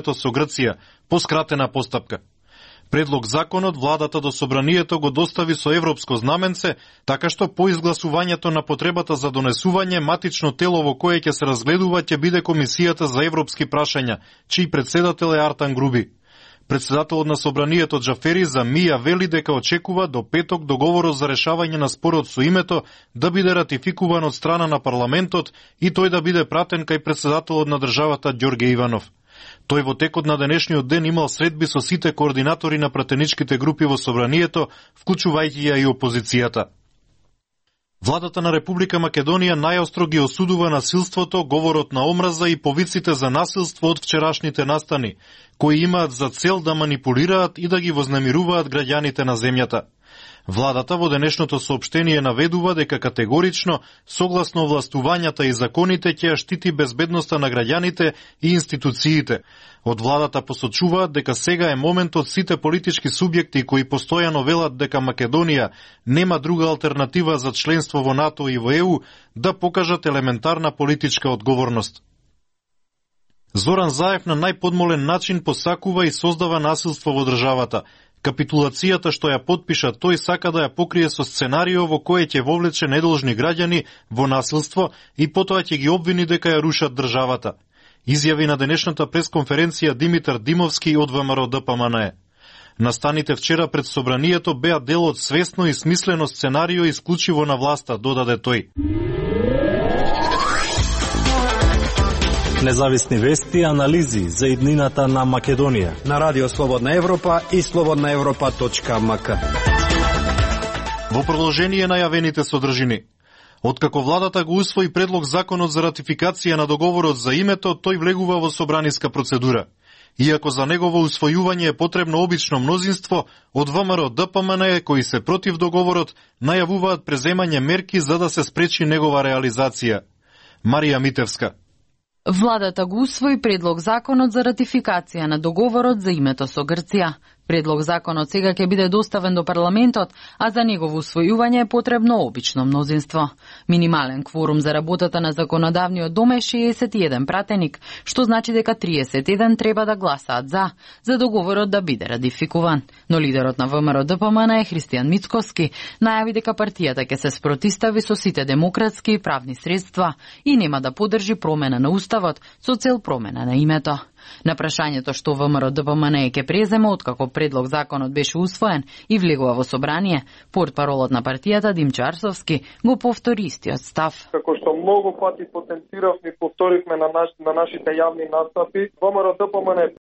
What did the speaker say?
името со Грција, по скратена постапка. Предлог законот владата до собранието го достави со европско знаменце, така што по изгласувањето на потребата за донесување матично тело во кое ќе се разгледува ќе биде Комисијата за европски прашања, чиј председател е Артан Груби. Председателот на собранието Џафери Замија вели дека очекува до петок договорот за решавање на спорот со името да биде ратификуван од страна на парламентот и тој да биде пратен кај председателот на државата Ѓорге Иванов. Тој во текот на денешниот ден имал средби со сите координатори на пратеничките групи во собранието, вклучувајќи ја и опозицијата. Владата на Република Македонија најостро ги осудува насилството, говорот на омраза и повиците за насилство од вчерашните настани, кои имаат за цел да манипулираат и да ги вознемируваат граѓаните на земјата. Владата во денешното соопштение наведува дека категорично, согласно властувањата и законите, ќе ја штити безбедноста на граѓаните и институциите. Од владата посочуваат дека сега е моментот сите политички субјекти кои постојано велат дека Македонија нема друга алтернатива за членство во НАТО и во ЕУ да покажат елементарна политичка одговорност. Зоран Заев на најподмолен начин посакува и создава насилство во државата. Капитулацијата што ја подпиша тој сака да ја покрие со сценарио во кое ќе вовлече недолжни граѓани во насилство и потоа ќе ги обвини дека ја рушат државата. Изјави на денешната пресконференција Димитар Димовски од ВМРО ДПМНЕ. Настаните вчера пред собранието беа дел од свесно и смислено сценарио исклучиво на власта, додаде тој. Независни вести и анализи за иднината на Македонија на Радио Слободна Европа и slobodnaevropa.mk. Во продолжение на јавените содржини. Откако владата го усвои предлог законот за ратификација на договорот за името, тој влегува во собраниска процедура. Иако за негово усвојување е потребно обично мнозинство, од ВМРО ДПМНЕ кои се против договорот најавуваат преземање мерки за да се спречи негова реализација. Марија Митевска. Владата го усвои предлог законот за ратификација на договорот за името со Грција. Предлог законот сега ќе биде доставен до парламентот, а за негово усвојување е потребно обично мнозинство. Минимален кворум за работата на законодавниот дом е 61 пратеник, што значи дека 31 треба да гласаат за договорот да биде ратификуван. Но лидерот на ВМРО ДПМН Христијан Мицкоски најави дека партијата ќе се спротистави со сите демократски и правни средства и нема да поддржи промена на уставот со цел промена на името. На прашањето што ВМРО ДПМН ќе презема откако предлог законот беше усвоен и влегува во собрание, портпаролот на партијата Димчо Арсовски го повтори истиот став. Како што многу пати потенциравме и повторивме на нашите јавни настапи, ВМРО ДПМН